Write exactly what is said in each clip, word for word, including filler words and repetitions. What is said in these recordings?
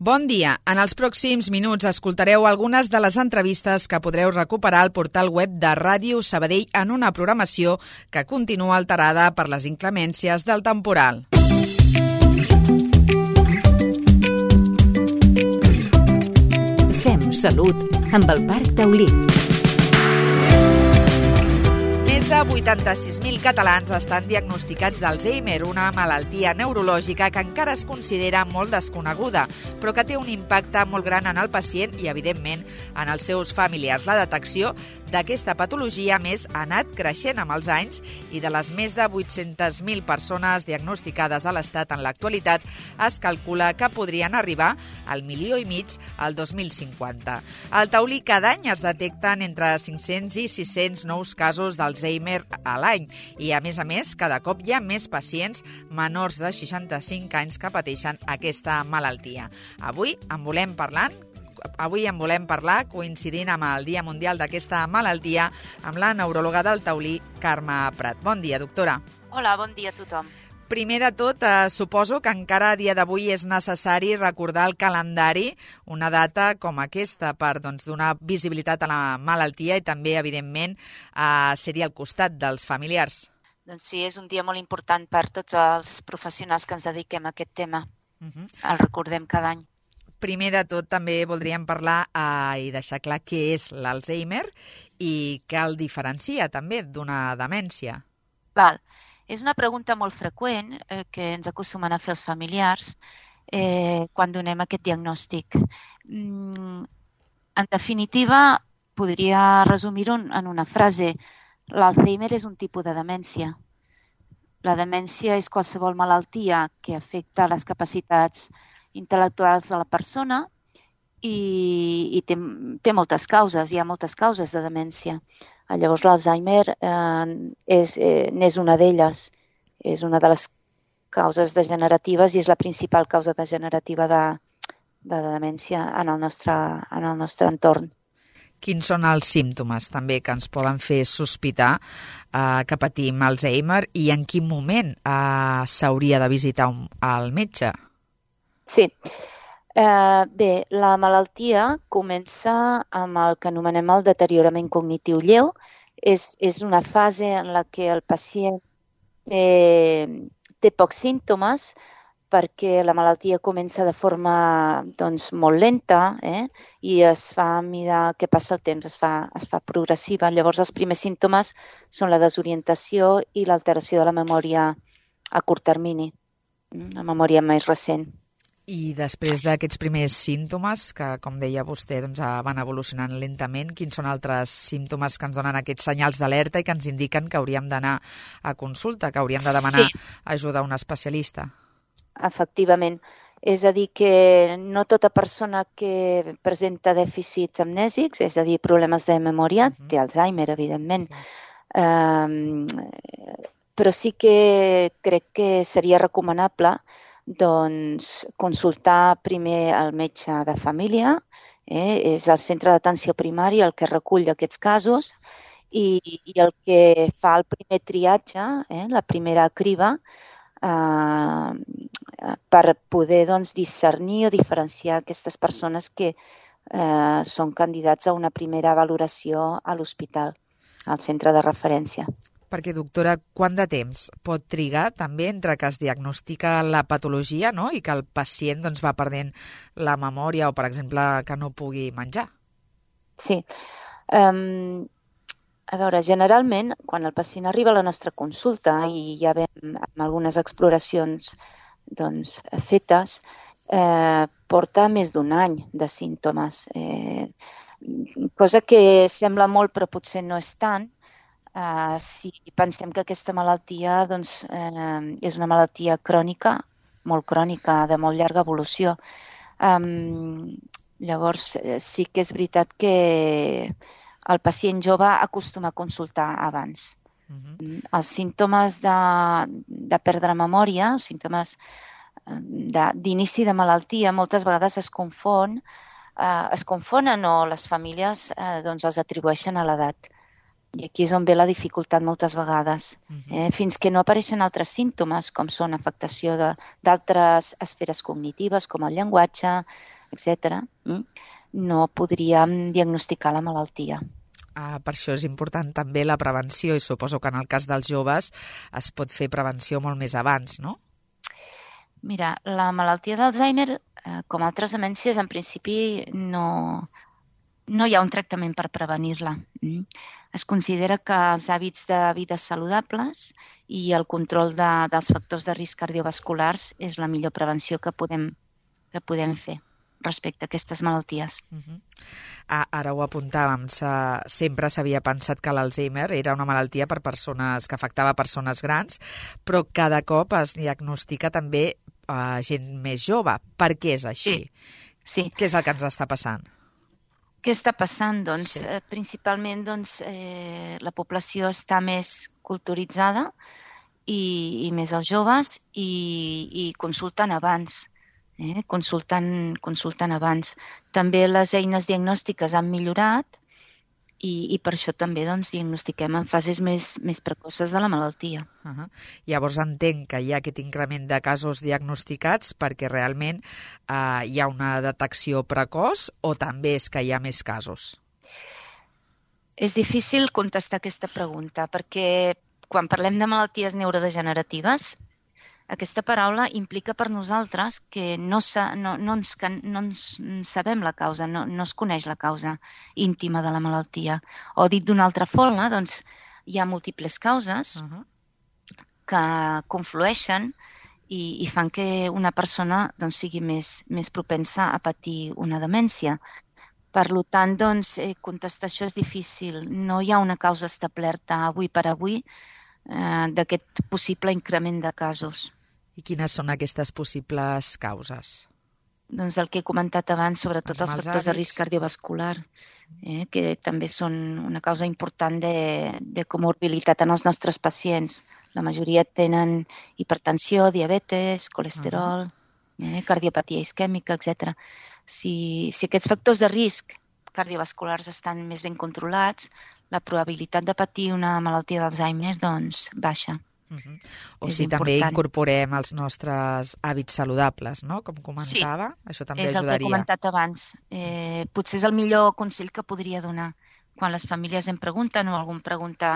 Bon dia. En els pròxims minuts escoltareu algunes de les entrevistes que podreu recuperar al portal web de Ràdio Sabadell en una programació que continua alterada per les inclemències del temporal. Fem salut amb el Parc Taulí. Més de vuitanta-sis mil catalans estan diagnosticats d'Alzheimer, una malaltia neurològica que encara es considera molt desconeguda, però que té un impacte molt gran en el pacient i, evidentment, en els seus familiars. La detecció d'aquesta patologia, més, ha anat creixent amb els anys i de les més de vuit-centes mil persones diagnosticades a l'Estat en l'actualitat es calcula que podrien arribar al milió i mig al dos mil cinquanta. Al Taulí cada any es detecten entre cinc-cents i sis-cents nous casos d'Alzheimer a l'any i, a més a més, cada cop hi ha més pacients menors de seixanta-cinc anys que pateixen aquesta malaltia. Avui en volem parlar Avui en volem parlar, coincidint amb el Dia Mundial d'aquesta malaltia, amb la neuròloga del Taulí, Carme Prat. Bon dia, doctora. Hola, bon dia a tothom. Primer de tot, eh, suposo que encara a dia d'avui és necessari recordar el calendari, una data com aquesta, per doncs, donar visibilitat a la malaltia i també, evidentment, eh, ser-hi al costat dels familiars. Doncs sí, és un dia molt important per tots els professionals que ens dediquem a aquest tema. Uh-huh. El recordem cada any. Primer de tot, també voldríem parlar eh, i deixar clar què és l'Alzheimer i què el diferencia també d'una demència. Val. És una pregunta molt freqüent eh, que ens acostumen a fer els familiars eh, quan donem aquest diagnòstic. Mm, en definitiva, podria resumir-ho en una frase. L'Alzheimer és un tipus de demència. La demència és qualsevol malaltia que afecta les capacitats intel·lectuals de la persona i, i té, té moltes causes, hi ha moltes causes de demència. Llavors l'Alzheimer eh, és, eh, n'és una d'elles, és una de les causes degeneratives i és la principal causa degenerativa de, de demència en el nostre, en el nostre entorn. Quins són els símptomes també que ens poden fer sospitar eh, que patim Alzheimer i en quin moment eh, s'hauria de visitar un, el metge? Sí. Eh, bé, la malaltia comença amb el que anomenem el deteriorament cognitiu lleu. És, és una fase en la què el pacient té, té pocs símptomes perquè la malaltia comença de forma doncs, molt lenta eh? i es fa a mesura que passa el temps, es fa, es fa progressiva. Llavors els primers símptomes són la desorientació i l'alteració de la memòria a curt termini, la memòria més recent. I després d'aquests primers símptomes, que com deia vostè doncs, van evolucionant lentament, quins són altres símptomes que ens donen aquests senyals d'alerta i que ens indiquen que hauríem d'anar a consulta, que hauríem de demanar sí. ajuda a un especialista? Efectivament. És a dir, que no tota persona que presenta dèficits amnèsics, és a dir, problemes de memòria, uh-huh. té Alzheimer, evidentment. Uh-huh. Um, però sí que crec que seria recomanable doncs, consultar primer el metge de família, eh? és el centre d'atenció primària el que recull aquests casos i, i el que fa el primer triatge, eh? la primera criba, eh, per poder doncs, discernir o diferenciar aquestes persones que eh, són candidats a una primera valoració a l'hospital, al centre de referència. Perquè, doctora, quant de temps pot trigar també entre que es diagnostica la patologia, no?, i que el pacient doncs, va perdent la memòria o, per exemple, que no pugui menjar? Sí. Um, a veure, generalment, quan el pacient arriba a la nostra consulta i ja veiem amb algunes exploracions doncs, fetes, eh, porta més d'un any de símptomes. Eh, cosa que sembla molt però potser no és tant, Uh, si pensem que aquesta malaltia doncs, eh, és una malaltia crònica, molt crònica, de molt llarga evolució. Um, llavors, sí que és veritat que el pacient jove acostuma a consultar abans. Uh-huh. Els símptomes de, de perdre memòria, els símptomes d'inici de, de malaltia, moltes vegades es confon, uh, es confonen o les famílies uh, doncs, els atribueixen a l'edat. I aquí és on ve la dificultat moltes vegades. Eh? Fins que no apareixen altres símptomes, com són afectació d'altres esferes cognitives, com el llenguatge, etcètera, no podríem diagnosticar la malaltia. Ah, per això és important també la prevenció i suposo que en el cas dels joves es pot fer prevenció molt més abans, no? Mira, la malaltia d'Alzheimer, eh, com altres demències, en principi no, no hi ha un tractament per prevenir-la. Mm. Es considera que els hàbits de vida saludables i el control de, dels factors de risc cardiovasculars és la millor prevenció que podem, que podem fer respecte a aquestes malalties. Uh-huh. Ah, ara ho apuntàvem, se, sempre s'havia pensat que l'Alzheimer era una malaltia per persones que afectava persones grans, però cada cop es diagnostica també a gent més jove. Per què és així? Sí, sí. Què és el que ens està passant? Què està passant? Doncs, Sí. eh, principalment doncs, eh, la població està més culturitzada i, i més els joves i, i consulten abans. Eh? Consultant, consultant abans. També les eines diagnòstiques han millorat i, i per això també doncs, diagnostiquem en fases més, més precoces de la malaltia. Uh-huh. Llavors entenc que hi ha aquest increment de casos diagnosticats perquè realment eh, hi ha una detecció precoç o també és que hi ha més casos? És difícil contestar aquesta pregunta perquè quan parlem de malalties neurodegeneratives aquesta paraula implica per nosaltres que no, sa, no, no, ens, no ens sabem la causa, no, no es coneix la causa íntima de la malaltia. O dit d'una altra forma, doncs, hi ha múltiples causes uh-huh. que conflueixen i, i fan que una persona doncs, sigui més, més propensa a patir una demència. Per tant, doncs, contestar això és difícil. No hi ha una causa establerta avui per avui eh, d'aquest possible increment de casos. I quines són aquestes possibles causes? Doncs el que he comentat abans, sobretot els, els factors hàbits de risc cardiovascular, eh, que també són una causa important de, de comorbilitat en els nostres pacients. La majoria tenen hipertensió, diabetes, colesterol, uh-huh. eh, cardiopatia isquèmica, etcètera. Si, si aquests factors de risc cardiovasculars estan més ben controlats, la probabilitat de patir una malaltia d'Alzheimer doncs, baixa. Uh-huh. O si també incorporem els nostres hàbits saludables, no? Com comentava, sí, això també és ajudaria. És el que he comentat abans. Eh, potser és el millor consell que podria donar. Quan les famílies em pregunten o algú em pregunta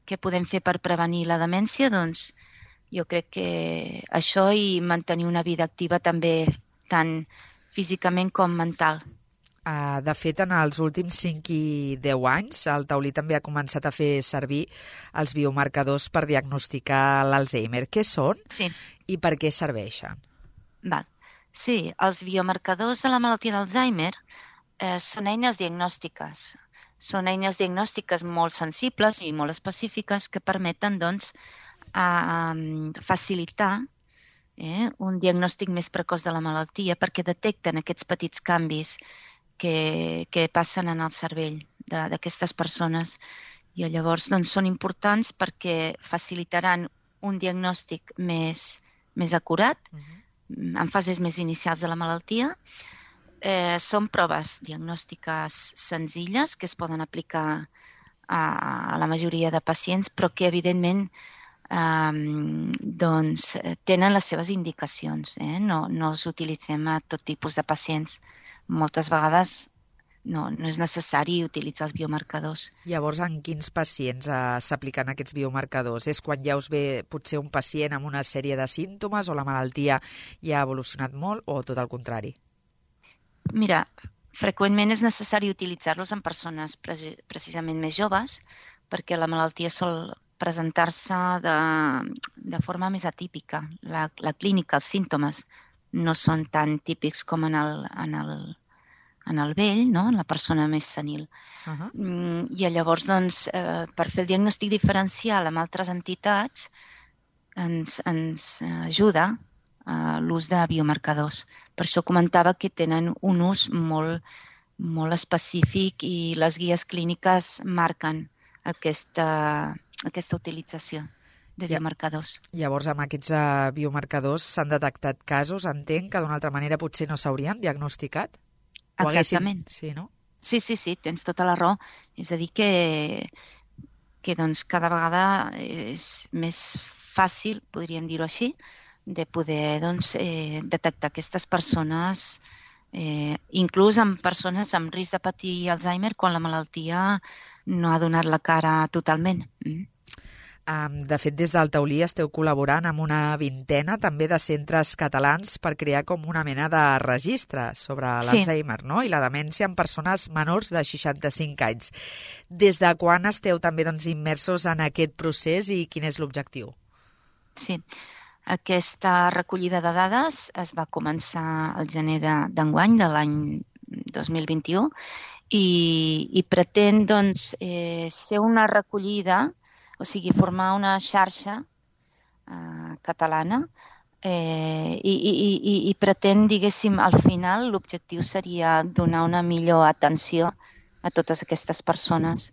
què podem fer per prevenir la demència, doncs jo crec que això i mantenir una vida activa també, tant físicament com mental. Uh, de fet, en els últims cinc i deu anys, el taulí també ha començat a fer servir els biomarcadors per diagnosticar l'Alzheimer. Què són sí. i per què serveixen? Val. Sí, els biomarcadors de la malaltia d'Alzheimer eh, són eines diagnòstiques. Són eines diagnòstiques molt sensibles i molt específiques que permeten doncs, a, a facilitar eh, un diagnòstic més precoç de la malaltia perquè detecten aquests petits canvis Que, que passen en el cervell d'aquestes persones i llavors doncs, són importants perquè facilitaran un diagnòstic més, més acurat uh-huh. en fases més inicials de la malaltia. Eh, són proves diagnòstiques senzilles que es poden aplicar a, a la majoria de pacients però que evidentment eh, doncs, tenen les seves indicacions. Eh? No, no els utilitzem a tot tipus de pacients. Moltes vegades no, no és necessari utilitzar els biomarcadors. Llavors, en quins pacients eh, s'apliquen aquests biomarcadors? És quan ja us ve potser un pacient amb una sèrie de símptomes o la malaltia ja ha evolucionat molt o tot el contrari? Mira, freqüentment és necessari utilitzar-los en persones pre- precisament més joves perquè la malaltia sol presentar-se de, de forma més atípica. La, la clínica, els símptomes, no són tan típics com en el, en el, en el vell, no? En la persona més senil. Uh-huh. I llavors, doncs, eh, per fer el diagnòstic diferencial amb altres entitats ens, ens ajuda eh, l'ús de biomarcadors. Per això comentava que tenen un ús molt, molt específic i les guies clíniques marquen aquesta, aquesta utilització de biomarcadors. Llavors, amb aquests uh, biomarcadors s'han detectat casos, entenc que d'una altra manera potser no s'haurien diagnosticat? Exactament. Haguessin... Sí, no? Sí, sí, sí, tens tota la raó. És a dir, que, que doncs, cada vegada és més fàcil, podríem dir-ho així, de poder doncs, eh, detectar aquestes persones eh, inclús en persones amb risc de patir Alzheimer quan la malaltia no ha donat la cara totalment. Mm. Um, de fet, des del Taulí esteu col·laborant amb una vintena també de centres catalans per crear com una mena de registre sobre l'Alzheimer, sí, no? I la demència en persones menors de seixanta-cinc anys. Des de quan esteu també doncs, immersos en aquest procés i quin és l'objectiu? Sí, aquesta recollida de dades es va començar al gener d'enguany, de l'any dos mil vint-i-u, i, i pretén doncs, eh, ser una recollida, o sigui, formar una xarxa eh, catalana eh, i, i, i, i pretén, diguéssim, al final l'objectiu seria donar una millor atenció a totes aquestes persones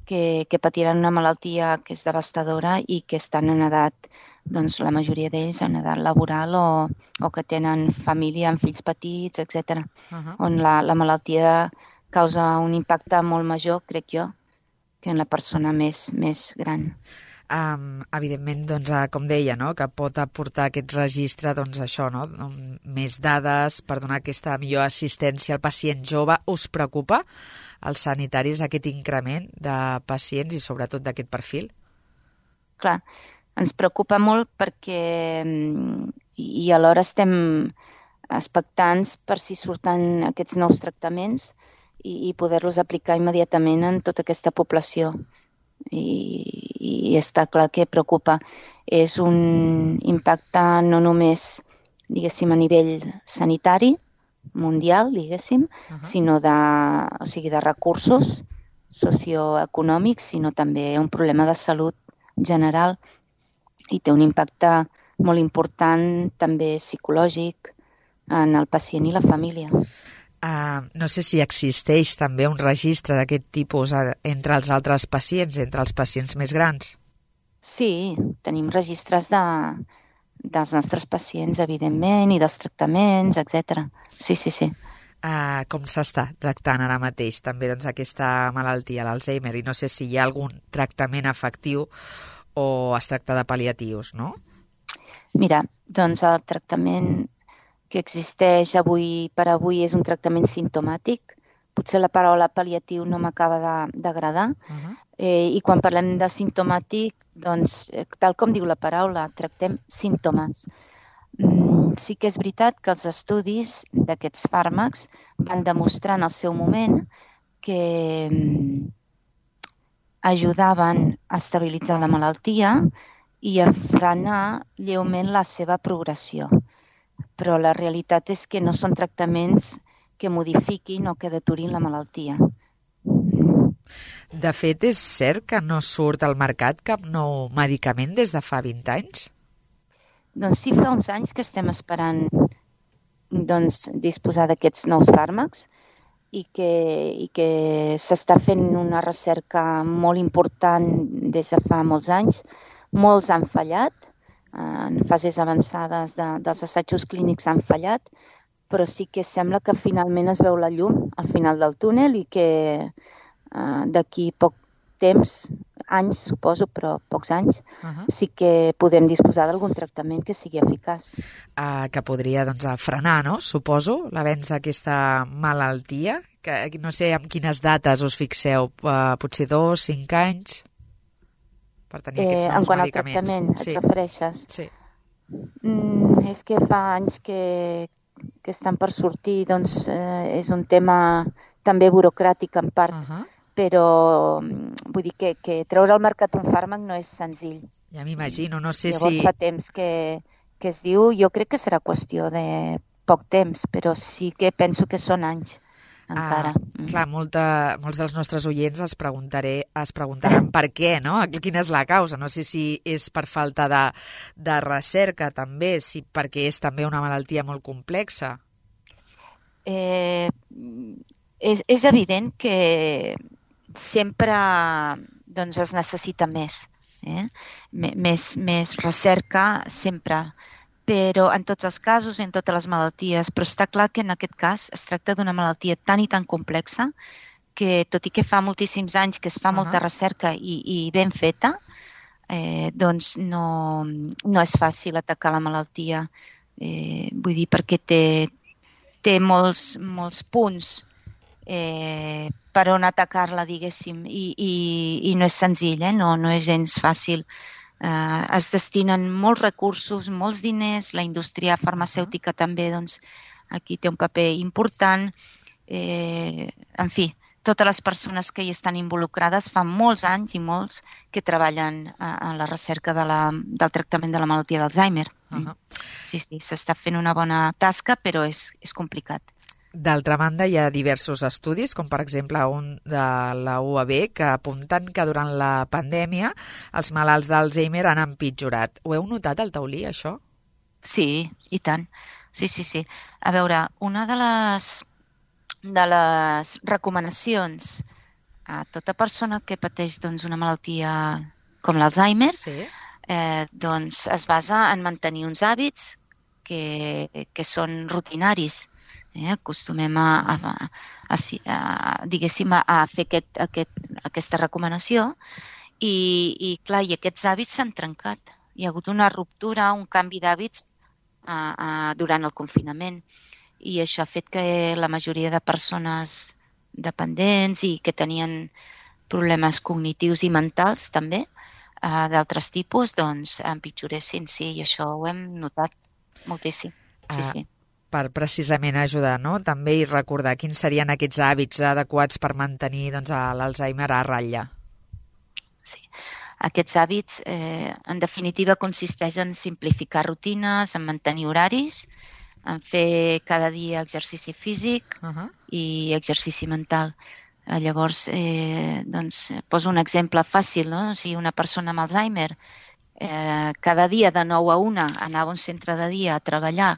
que, que patiran una malaltia que és devastadora i que estan en edat, doncs la majoria d'ells en edat laboral o, o que tenen família amb fills petits, etcètera, uh-huh. on la, la malaltia causa un impacte molt major, crec jo, que en la persona més, més gran. Um, evidentment, doncs, com deia, no? que pot aportar aquest registre doncs, això, no? més dades per donar aquesta millor assistència al pacient jove. Us preocupa als sanitaris aquest increment de pacients i sobretot d'aquest perfil? Clar, ens preocupa molt perquè i alhora estem expectants per si surten aquests nous tractaments i poder-los aplicar immediatament en tota aquesta població. I, i està clar que preocupa. És un impacte no només, diguéssim, a nivell sanitari, mundial, diguéssim, uh-huh. sinó de, o sigui, de recursos socioeconòmics, sinó també un problema de salut general i té un impacte molt important també psicològic en el pacient i la família. Uh, no sé si existeix també un registre d'aquest tipus entre els altres pacients, entre els pacients més grans. Sí, tenim registres de, dels nostres pacients, evidentment, i dels tractaments, etcètera. Sí, sí, sí. Uh, com s'està tractant ara mateix també doncs, aquesta malaltia, l'Alzheimer, i no sé si hi ha algun tractament efectiu o es tracta de pal·liatius, no? Mira, doncs el tractament que existeix avui per avui és un tractament simptomàtic. Potser la paraula pal·liatiu no m'acaba d'agradar. Uh-huh. eh, I quan parlem de simptomàtic, doncs, tal com diu la paraula, tractem símptomes. Mm, sí que és veritat que els estudis d'aquests fàrmacs van demostrar en el seu moment que mm, ajudaven a estabilitzar la malaltia i a frenar lleument la seva progressió. Però la realitat és que no són tractaments que modifiquin o que deturin la malaltia. De fet, és cert que no surt al mercat cap nou medicament des de fa vint anys? Doncs sí, fa uns anys que estem esperant doncs, disposar d'aquests nous fàrmacs i que, i que s'està fent una recerca molt important des de fa molts anys. Molts han fallat, en fases avançades de, dels assajos clínics han fallat, però sí que sembla que finalment es veu la llum al final del túnel i que eh, d'aquí poc temps, anys suposo, però pocs anys, uh-huh. sí que podem disposar d'algun tractament que sigui eficaç. Uh, que podria doncs, frenar, no? Suposo, l'avenç d'aquesta malaltia, que no sé amb quines dates us fixeu, uh, potser dos, cinc anys? Per tenir aquests nous eh, en quant medicaments. al tractament et sí. refereixes? Sí. Mm, és que fa anys que, que estan per sortir, doncs eh, és un tema també burocràtic en part, uh-huh. però vull dir que, que treure al mercat un fàrmac no és senzill. Ja m'imagino, no sé Llavors, si... fa temps que, que es diu, jo crec que serà qüestió de poc temps, però sí que penso que són anys. Encara. Ah, clar, molta, molts dels nostres oients es, preguntaré, es preguntaran per què, no? Quina és la causa? No sé si és per falta de, de recerca també, si perquè és també una malaltia molt complexa. Eh, és, és evident que sempre doncs, es necessita més, eh? més, més recerca sempre. Però en tots els casos, en totes les malalties, però està clar que en aquest cas es tracta d'una malaltia tan i tan complexa que, tot i que fa moltíssims anys que es fa uh-huh. molta recerca i, i ben feta, eh, doncs no, no és fàcil atacar la malaltia. Eh, vull dir, perquè té, té molts, molts punts eh, per on atacar-la, diguéssim, i, i, i no és senzill, eh? no, no és gens fàcil. Eh, es destinen molts recursos, molts diners, la indústria farmacèutica també doncs, aquí té un paper important. Eh, en fi, totes les persones que hi estan involucrades fa molts anys i molts que treballen en la recerca de la, del tractament de la malaltia d'Alzheimer. Uh-huh. Sí, sí, s'està fent una bona tasca, però és, és complicat. D'altra banda, hi ha diversos estudis, com per exemple un de la U A B, que apunten que durant la pandèmia els malalts d'Alzheimer han empitjorat. Ho heu notat al taulí, això? Sí, i tant. Sí, sí, sí. A veure, una de les, de les recomanacions a tota persona que pateix doncs, una malaltia com l'Alzheimer sí. eh, doncs es basa en mantenir uns hàbits que, que són rutinaris. Eh, acostumem a, a, a, a, diguéssim, a fer aquest, aquest, aquesta recomanació i, i, clar, i aquests hàbits s'han trencat. Hi ha hagut una ruptura, un canvi d'hàbits a, a, durant el confinament i això ha fet que la majoria de persones dependents i que tenien problemes cognitius i mentals també, eh, d'altres tipus, doncs empitjoressin, sí, i això ho hem notat moltíssim. Sí, ah. sí. Per precisament ajudar, no? També i recordar quins serien aquests hàbits adequats per mantenir doncs, l'Alzheimer a ratlla. Sí, aquests hàbits eh, en definitiva consisteix en simplificar rutines, en mantenir horaris, en fer cada dia exercici físic uh-huh. i exercici mental. Eh, llavors, eh, doncs, poso un exemple fàcil, no? Si una persona amb Alzheimer eh, cada dia de nou a una anava a un centre de dia a treballar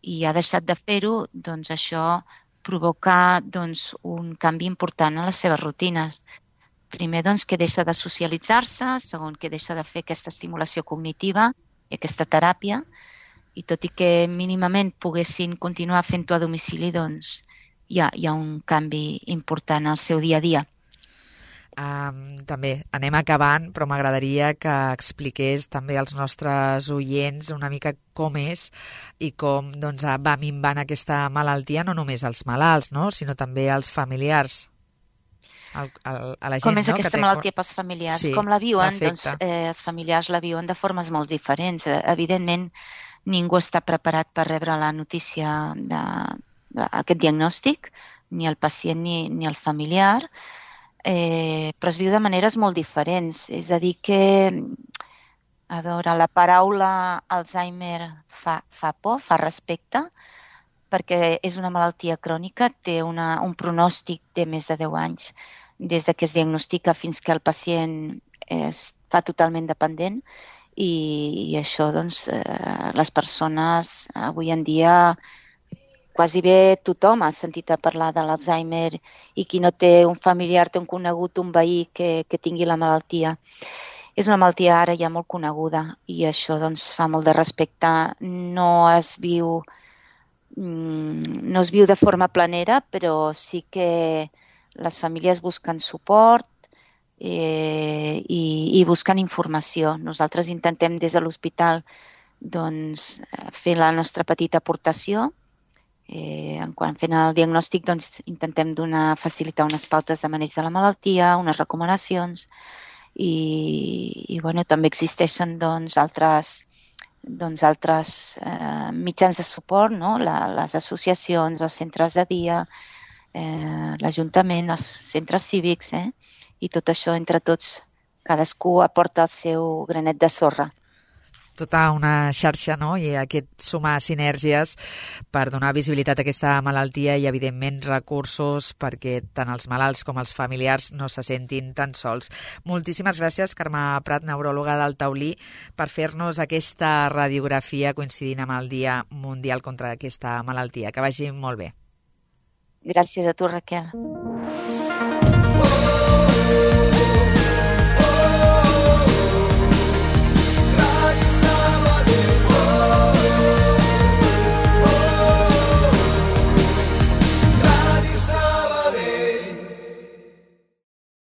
i ha deixat de fer-ho, doncs això provoca doncs, un canvi important en les seves rutines. Primer, doncs, que deixa de socialitzar-se, segon, que deixa de fer aquesta estimulació cognitiva i aquesta teràpia, i tot i que mínimament poguessin continuar fent-ho a domicili, doncs hi ha, hi ha un canvi important al seu dia a dia. Um, també anem acabant, però m'agradaria que expliqués també als nostres oients una mica com és i com doncs, va minvant aquesta malaltia, no només als malalts, no? sinó també als familiars. El, el, a la gent, com és no? aquesta té... malaltia pels familiars? Sí, com la viuen? Doncs, eh, els familiars la viuen de formes molt diferents. Eh, evidentment, ningú està preparat per rebre la notícia d'aquest diagnòstic, ni el pacient ni, ni el familiar. Eh, però es viu de maneres molt diferents. És a dir que, a veure, la paraula Alzheimer fa, fa por, fa respecte, perquè és una malaltia crònica, té una, un pronòstic de més de deu anys, des que es diagnostica fins que el pacient es fa totalment dependent i, i això, doncs, eh, les persones avui en dia quasi bé tothom ha sentit a parlar de l'Alzheimer i qui no té un familiar, té un conegut, un veí que, que tingui la malaltia. És una malaltia ara ja molt coneguda i això doncs, fa molt de respecte. No es viu, no es viu de forma planera, però sí que les famílies busquen suport eh, i, i busquen informació. Nosaltres intentem des de l'hospital doncs, fer la nostra petita aportació. Eh, en quan fent el diagnòstic doncs, intentem donar, facilitar unes pautes de maneig de la malaltia, unes recomanacions i, i bueno, també existeixen doncs, altres, doncs, altres eh, mitjans de suport, no? la, les associacions, els centres de dia, eh, l'Ajuntament, els centres cívics, eh? i tot això entre tots, cadascú aporta el seu granet de sorra. Tota una xarxa, no? I aquest sumar sinergies per donar visibilitat a aquesta malaltia i, evidentment, recursos perquè tant els malalts com els familiars no se sentin tan sols. Moltíssimes gràcies, Carme Prat, neuròloga del Taulí, per fer-nos aquesta radiografia coincidint amb el Dia Mundial contra aquesta malaltia. Que vagi molt bé. Gràcies a tu, Raquel.